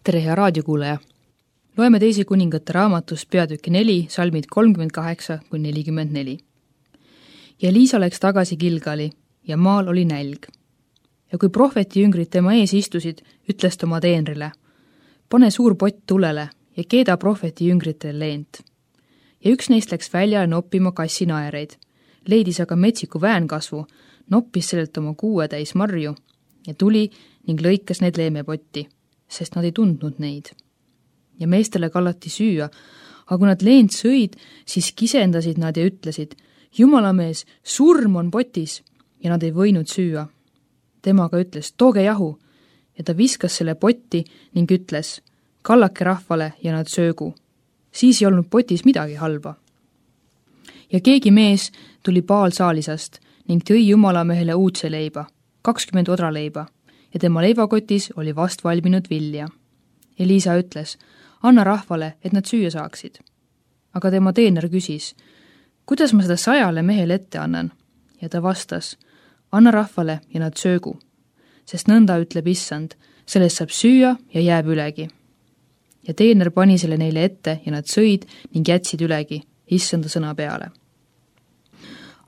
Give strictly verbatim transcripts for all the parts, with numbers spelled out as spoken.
tere, hea raadiokuulaja! Loeme teise kuningate raamatust peatüki neli, salmid kolmkümmend kaheksa kuni nelikümmend neli. Ja Liisa läks tagasi Gilgali ja maal oli nälg. Ja kui prohveti jüngrid tema ees istusid, ütles ta oma teenrile: pane suur pott tulele ja keeda prohveti jüngritele leent. Ja üks neist läks väljale noppima kassinaereid, leidis aga metsiku väänkasvu, noppis sellelt oma kuue täis marju ja tuli ning lõikas neid leemepotti, sest nad ei tundnud neid. Ja meestele kallati süüa, aga kui nad leent sõid, siis kisendasid nad ja ütlesid: Jumalamees, surm on potis, ja nad ei võinud süüa. Tema aga ütles: tooge jahu, ja ta viskas selle potti ning ütles: kallake rahvale ja nad söögu. Siis ei olnud potis midagi halba. Ja keegi mees tuli Baalsaalisast ning tõi Jumalamehele uudse leiba, kakskümmend odraleiba, ja tema leivakotis oli vast valminud vilja. Ja Liisa ütles: anna rahvale, et nad süüa saaksid. Aga tema teener küsis: kuidas ma seda sajale mehele ette annan? Ja ta vastas: anna rahvale ja nad söögu, sest nõnda ütleb issand, sellest saab süüa ja jääb ülegi. Ja teener pani selle neile ette ja nad sõid ning jätsid ülegi issanda sõna peale.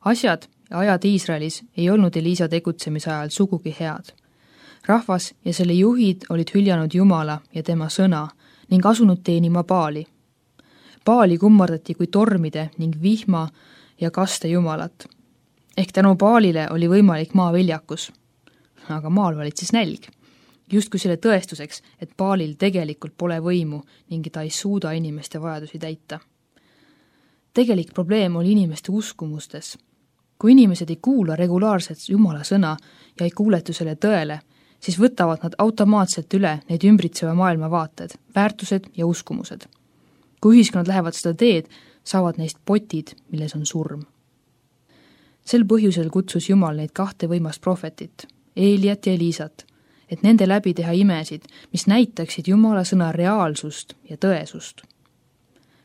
Asjad ja ajad Iisraelis ei olnud Eliisa tegutsemise ajal sugugi head. Rahvas ja selle juhid olid hüljanud Jumala ja tema sõna ning asunud teenima Baali. Baali kummardati kui tormide ning vihma ja kaste jumalat. Ehk tänu Baalile oli võimalik maaviljakus. Aga maal valitses nälg. Just kui selle tõestuseks, et Baalil tegelikult pole võimu ning ta ei suuda inimeste vajadusi täita. Tegelik probleem oli inimeste uskumustes. Kui inimesed ei kuula regulaarselt Jumala sõna ja ei kuuletu selle tõele, siis võtavad nad automaatselt üle neid ümbritseva maailma vaated, väärtused ja uskumused. Kui ühiskonnad lähevad seda teed, saavad neist potid, milles on surm. Sel põhjusel kutsus Jumal neid kahte võimast prohvetit, Eeliat ja Eliisat, et nende läbi teha imesid, mis näitaksid Jumala sõna reaalsust ja tõesust.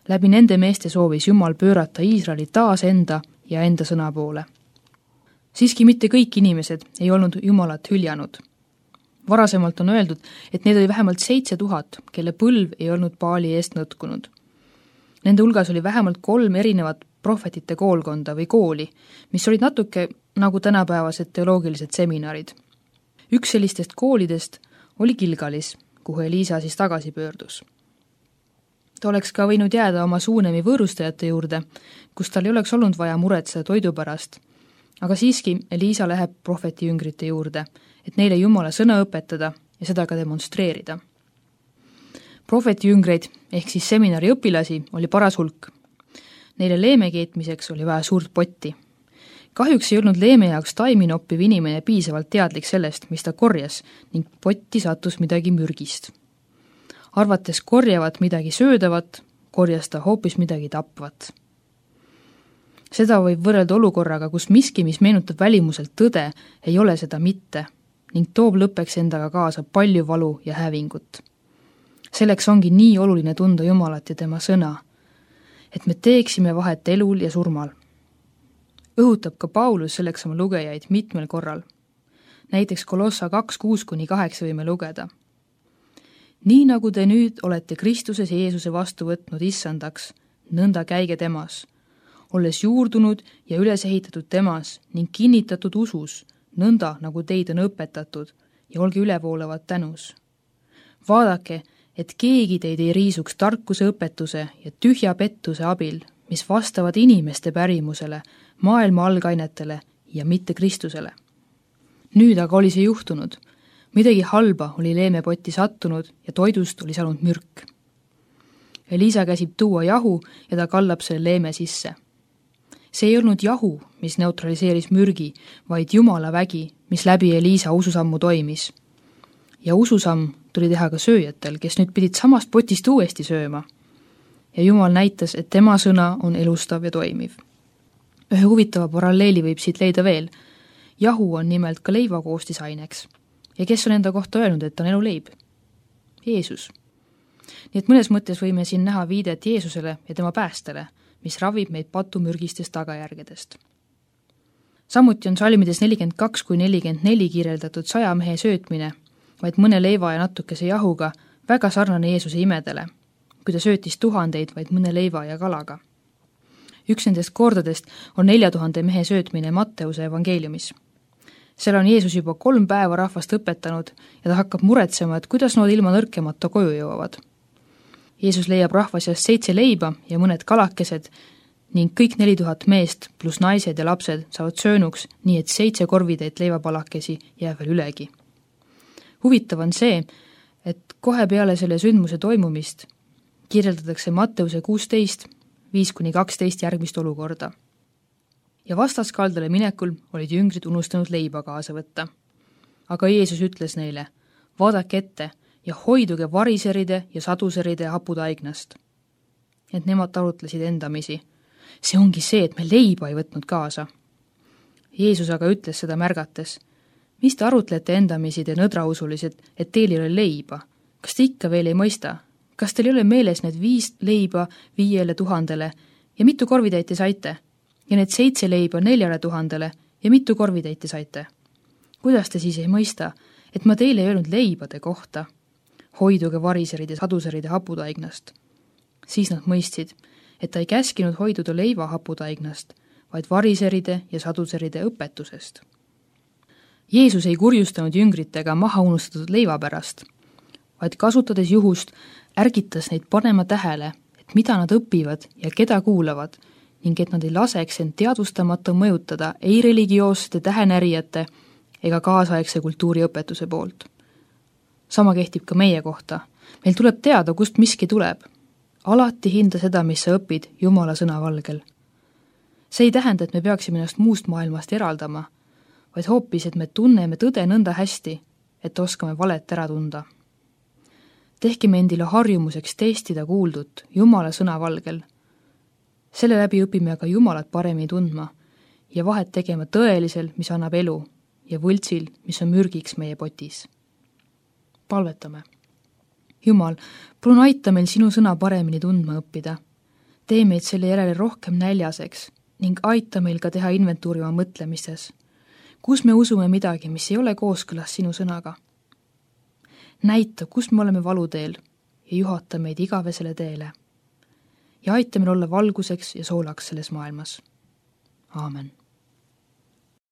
Läbi nende meeste soovis Jumal pöörata Iisraeli taas enda ja enda sõna poole. Siiski mitte kõik inimesed ei olnud Jumalat hüljanud. Varasemalt on öeldud, et need oli vähemalt seitse tuhat, kelle põlv ei olnud Baali eest nõtkunud. Nende hulgas oli vähemalt kolm erinevat prohvetite koolkonda või kooli, mis olid natuke nagu tänapäevased teoloogilised seminarid. Üks sellistest koolidest oli Gilgalis, kuhu Eliisa siis tagasi pöördus. Ta oleks ka võinud jääda oma Suunemi võõrustajate juurde, kus tal ei oleks olnud vaja muretseda toidu pärast, aga siiski Eliisa läheb prohveti jüngrite juurde, et neile Jumala sõna õpetada ja seda ka demonstreerida. Prohveti jüngreid ehk siis seminari õpilasi oli paras hulk. Neile leeme keetmiseks oli vaja suurt potti. Kahjuks ei olnud leeme jaoks taimi noppiv inimene piisavalt teadlik sellest, mis ta korjas, ning potti sattus midagi mürgist. Arvates korjavat midagi söödavat, korjas ta hoopis midagi tapvat. Seda võib võrrelda olukorraga, kus miski, mis meenutab välimuselt tõde, ei ole seda mitte, ning toob lõppeks endaga kaasa palju valu ja hävingut. Selleks ongi nii oluline tunda Jumalat ja tema sõna, et me teeksime vahet elul ja surmal. Õhutab ka Paulus selleks oma lugejaid mitmel korral. Näiteks Kolossa kaks kuus kuni kaheksa võime lugeda. Nii nagu te nüüd olete Kristuses Jeesuse vastu võtnud issandaks, nõnda käige temas, olles juurdunud ja üles ehitatud temas ning kinnitatud usus, nõnda nagu teid on õpetatud ja olge ülevoolavad tänus. Vaadake, et keegi teid ei riisuks tarkuse õpetuse ja tühja pettuse abil, mis vastavad inimeste pärimusele, maailma algainetele ja mitte Kristusele. Nüüd aga oli see juhtunud. Midagi halba oli leemepotti sattunud ja toidust oli saanud mürk. Eliisa käsib tuua jahu ja ta kallab selle leeme sisse. See ei olnud jahu, mis neutraliseeris mürgi, vaid Jumala vägi, mis läbi Eliisa ususammu toimis. Ja ususamm tuli teha ka sööjatel, kes nüüd pidid samast potist uuesti sööma. Ja Jumal näitas, et tema sõna on elustav ja toimiv. Ühe huvitava paralleeli võib siit leida veel. Jahu on nimelt ka leiva koostisaineks. Ja kes on enda kohta öelnud, et on elu leib? Jeesus. Nii et mõnes mõttes võime siin näha viidet Jeesusele ja tema päästele, mis ravib meid patumürgistest tagajärgedest. Samuti on salmides nelikümmend kaks kuni nelikümmend neli kirjeldatud saja mehe söötmine, vaid mõne leiva ja natukese jahuga väga sarnane Jeesuse imedele, kui ta söötis tuhandeid vaid mõne leiva ja kalaga. Üks nendest kordadest on nelja tuhande mehe söötmine Matteuse evangeeliumis. Seal on Jeesus juba kolm päeva rahvast õpetanud ja ta hakkab muretsema, et kuidas nad ilma nõrkemata koju jõuavad. Jeesus leiab rahva seast seitse leiba ja mõned kalakesed ning kõik neli tuhat meest pluss naised ja lapsed saavad söönuks, nii et seitse korvitäit leivapalakesi jääb veel ülegi. Huvitav on see, et kohe peale selle sündmuse toimumist kirjeldatakse Matteuse kuusteist, viis kuni kaksteist järgmist olukorda. Ja vastaskaldale minekul olid jüngrid unustanud leiba kaasa võtta. Aga Jeesus ütles neile, vaadake ette ja hoiduge variseride ja saduseride haputaignast. Et nemad arutlesid endamisi. See ongi see, et me leiba ei võtnud kaasa. Jeesus aga ütles seda märgates, mis te arutlete endamisi te nõdrausulised, et teil ei ole leiba? Kas te ikka veel ei mõista? Kas teil ei ole meeles need viis leiba viiele tuhandele ja mitu korvitäit te saite? Ja need seitse leiba neljale tuhandele ja mitu korvitäit te saite? Kuidas te siis ei mõista, et ma teile ei öelnud leibade kohta? Hoiduge variseride, saduseride haputaignast. Siis nad mõistsid, et ta ei käskinud hoiduda leiva haputaignast, vaid variseride ja saduseride õpetusest. Jeesus ei kurjustanud jüngritega maha unustatud leiva pärast, vaid kasutades juhust ärgitas neid panema tähele, et mida nad õpivad ja keda kuulavad, ning et nad ei laseks end teadvustamata mõjutada ei religioossete tähenärijate ega kaasaegse kultuuriõpetuse poolt. Sama kehtib ka meie kohta. Meil tuleb teada, kust miski tuleb. Alati hinda seda, mis sa õpid Jumala sõna valgel. See ei tähenda, et me peaksime ennast muust maailmast eraldama, vaid hoopis, et me tunneme tõde nõnda hästi, et oskame valet ära tunda. Tehkime endile harjumuseks testida kuuldut Jumala sõna valgel. Selle läbi õpime aga Jumalat paremini tundma ja vahet tegema tõelisel, mis annab elu, ja võltsil, mis on mürgiks meie potis. Palvetame. Jumal, palun aita meil sinu sõna paremini tundma õppida. Tee meid selle järele rohkem näljaseks ning aita meil ka teha inventuuri oma mõtlemistes, kus me usume midagi, mis ei ole kooskõlas sinu sõnaga. Näita, kus me oleme valuteel ja juhata meid igavesele teele. Ja aita meil olla valguseks ja soolaks selles maailmas. Aamen.